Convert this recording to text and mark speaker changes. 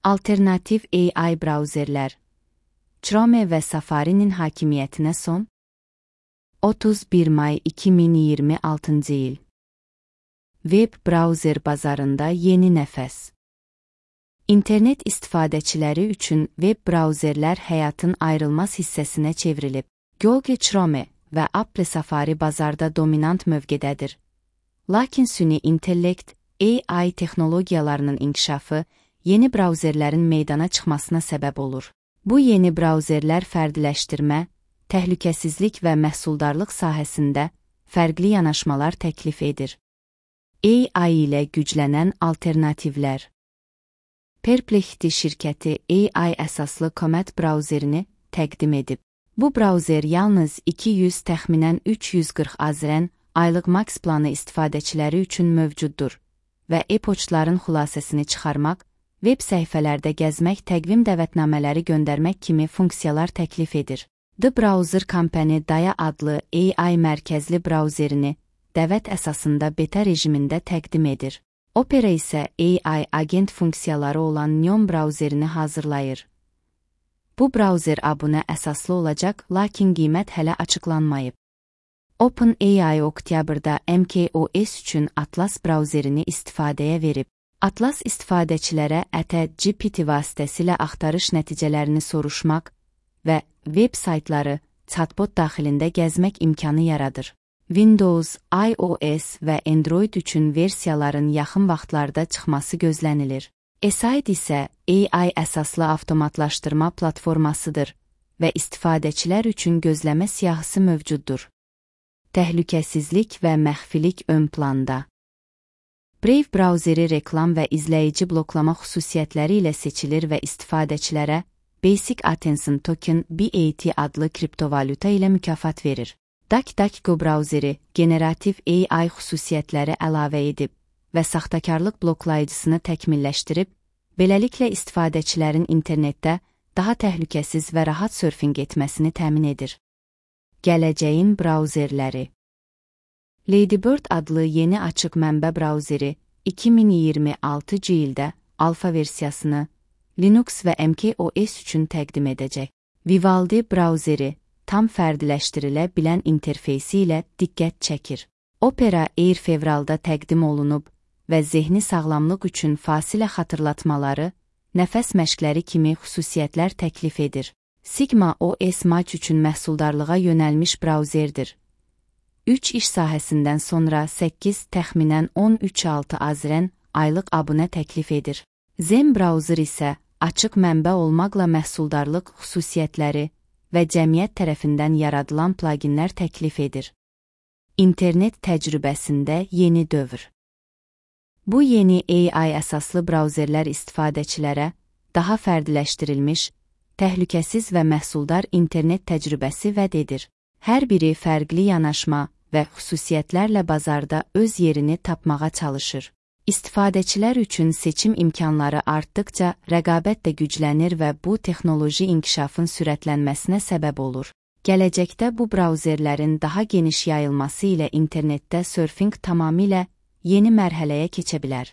Speaker 1: Alternativ AI brauzerlər, Chrome və Safari'nin hakimiyyətinə son. 31 may 2026 il. Web brauzer bazarında yeni nəfəs. İnternet istifadəçiləri üçün web brauzerlər həyatın ayrılmaz hissəsinə çevrilib. Google Chrome və Apple Safari bazarda dominant mövqedədir. Lakin süni intellekt, AI texnologiyalarının inkişafı yeni brauzerlərin meydana çıxmasına səbəb olur. Bu yeni brauzerlər fərdiləşdirmə, təhlükəsizlik və məhsuldarlıq sahəsində fərqli yanaşmalar təklif edir. AI ilə güclənən alternativlər. Perplexity şirkəti AI əsaslı Comet brauzerini təqdim edib. Bu brauzer yalnız 200 təxminən 340 AZN aylıq max planı istifadəçiləri üçün mövcuddur və e-poçtların xülasəsini çıxarmaq, web səhifələrdə gəzmək, təqvim dəvətnamələri göndərmək kimi funksiyalar təklif edir. The Browser Company Daya adlı AI mərkəzli brauzerini dəvət əsasında beta rejimində təqdim edir. Opera isə AI agent funksiyaları olan Neon brauzerini hazırlayır. Bu brauzer abunə əsaslı olacaq, lakin qiymət hələ açıqlanmayıb. OpenAI oktyabrda macOS üçün Atlas brauzerini istifadəyə verib. Atlas istifadəçilərə GPT vasitəsilə axtarış nəticələrini soruşmaq və web saytları chatbot daxilində gəzmək imkanı yaradır. Windows, iOS və Android üçün versiyaların yaxın vaxtlarda çıxması gözlənilir. Eside isə AI əsaslı avtomatlaşdırma platformasıdır və istifadəçilər üçün gözləmə siyahısı mövcuddur. Təhlükəsizlik və məxfilik ön planda. Brave brauzeri reklam və izləyici bloklama xüsusiyyətləri ilə seçilir və istifadəçilərə Basic Attention Token BAT adlı kriptovalyuta ilə mükafat verir. DuckDuckGo brauzeri generativ AI xüsusiyyətləri əlavə edib və saxtakarlıq bloklayıcısını təkmilləşdirib, beləliklə istifadəçilərin internetdə daha təhlükəsiz və rahat sörfinq etməsini təmin edir. Gələcəyin brauzerləri. Ladybird adlı yeni açıq mənbə brauzeri 2026 ildə alfa versiyasını Linux və macOS üçün təqdim edəcək. Vivaldi brauzeri tam fərdiləşdirilə bilən interfeysi ilə diqqət çəkir. Opera Air fevralda təqdim olunub və zehni sağlamlıq üçün fasilə xatırlatmaları, nəfəs məşqləri kimi xüsusiyyətlər təklif edir. Sigma OS Match üçün məhsuldarlığa yönəlmiş brauzerdir. 3 iş sahəsindən sonra 8 təxminən 13.6 AZN aylıq abunə təklif edir. Zen brauzer isə açıq mənbə olmaqla məhsuldarlıq xüsusiyyətləri və cəmiyyət tərəfindən yaradılan pluginlər təklif edir. İnternet təcrübəsində yeni dövr. Bu yeni AI əsaslı brauzerlər istifadəçilərə daha fərdiləşdirilmiş, təhlükəsiz və məhsuldar internet təcrübəsi vəd edir. Hər biri fərqli yanaşma və xüsusiyyətlərlə bazarda öz yerini tapmağa çalışır. İstifadəçilər üçün seçim imkanları artdıqca rəqabət də güclənir və bu texnoloji inkişafın sürətlənməsinə səbəb olur. Gələcəkdə bu brauzerlərin daha geniş yayılması ilə internetdə sörfinq tamamilə yeni mərhələyə keçə bilər.